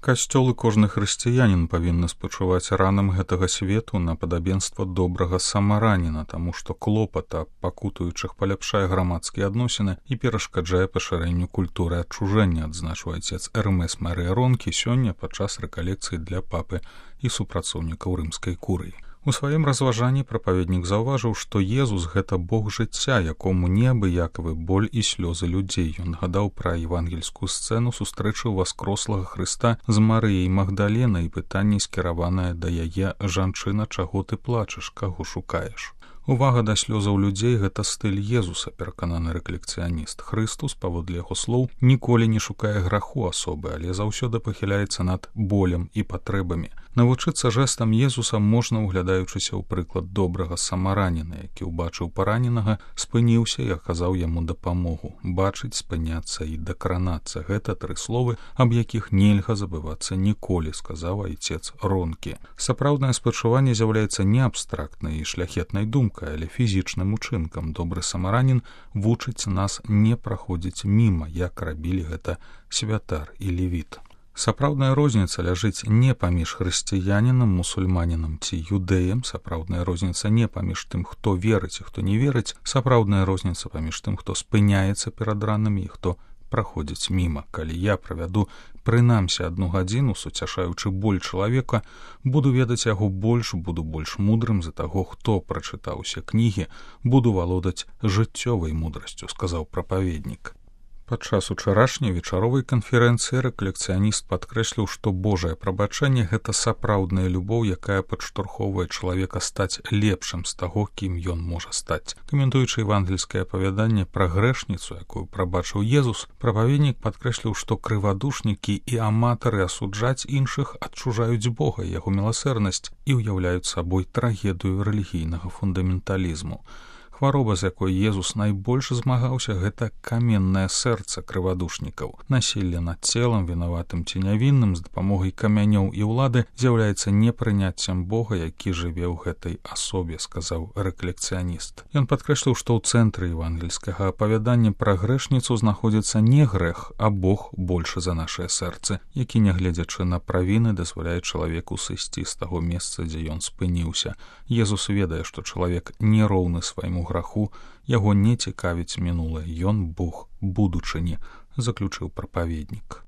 Касцёл і кожны хрысціянін павінны спачуваць ранам гэтага свету на падабенства добрага самараніна, таму што клопат аб пакутуючых паляпшае грамадскія адносіны і перашкаджае пашырэнню культуры адчужэння, адзначыў айцец Эрмес Марыя Ронкі сёння падчас рэкалекцыі для папы і супрацоўнікаў рымскай курыі. У сваім разважанні прапаведнік заўважыў, што Езус — гэта Бог жыцця, якому неабыякавы боль і слёзы людзей. Ён гадаў пра евангельскую сцэну сустрэчы васкрослага Хрыста з Марыяй Магдаленай і пытанне, скіраванае да яе: «Жанчына, чаго ты плачаш, каго шукаеш?» Увага да слёзаў людзей — гэта стыль Езуса, перакананы рэкалекцыяніст. Хрыстус, паводле яго слоў, ніколі не шукае граху асобы, але заўсёды пахіляецца над болем і патрэбамі. Навучыцца жэстам Езуса можна, углядаючыся ў прыклад добрага самараніна, які ўбачыў параненага, спыніўся і аказаў яму дапамогу. Бачыць, спыняцца і дакранацца — гэта тры словы, аб якіх нельга забывацца ніколі, сказаў айцец Ронкі. Сапраўднае спачуванне з'яўляецца не абстрактнай і шляхетнай думкай, але фізічным учынкам. Добры самаранін вучыць нас не праходзіць міма, як рабілі гэта святар і левіт. Сапраўдная розніца ляжыць не паміж хрысціянінам, мусульманінам ці юдэем, сапраўдная розніца не паміж тым, хто верыць і хто не верыць, сапраўдная розніца паміж тым, хто спыняецца перад ранамі і хто праходзіць міма. Калі я правяду прынамсі 1 гадзіну, суцяшаючы боль чалавека, буду ведаць яго больш, буду больш мудрым за таго, хто прачытаў усе кнігі, буду валодаць жыццёвай мудрасцю, сказаў прапаведнік. Падчас учарашняй вечаровай канферэнцыі рэкалекцыяніст падкрэсліў, што Божае прабачэнне — гэта сапраўдная любоў, якая падштурхоўвае чалавека стаць лепшым з таго, кім ён можа стаць. Каментуючы евангельскае апавяданне пра грэшніцу, якую прабачыў Езус, прапаведнік падкрэсліў, што крывадушнікі і аматары асуджаць іншых адчужаюць Бога і яго міласэрнасць і ўяўляюць сабой трагедыю рэлігійнага фундаменталізму. Хвароба, з якой Езус найбольш змагаўся, гэта каменнае сэрца крывадушнікаў. Насілле над целам, вінаватым ці нявінным, з дапамогай камянёў і ўлады з'яўляецца непрыняццем Бога, які жыве ў гэтай асобе, сказаў рэкалекцыяніст. Ён падкрэсліў, што ў цэнтры евангельскага апавядання пра грэшніцу знаходзіцца не грэх, а Бог большы за нашыя сэрцы, які, нягледзячы на правіны, дазваляе чалавеку сысці з таго месца, дзе ён спыніўся. Езус ведае, што чалавек не роўны свайму граху, яго не цікавіць мінулае, ён Бог будучыні, заключыў прапаведнік.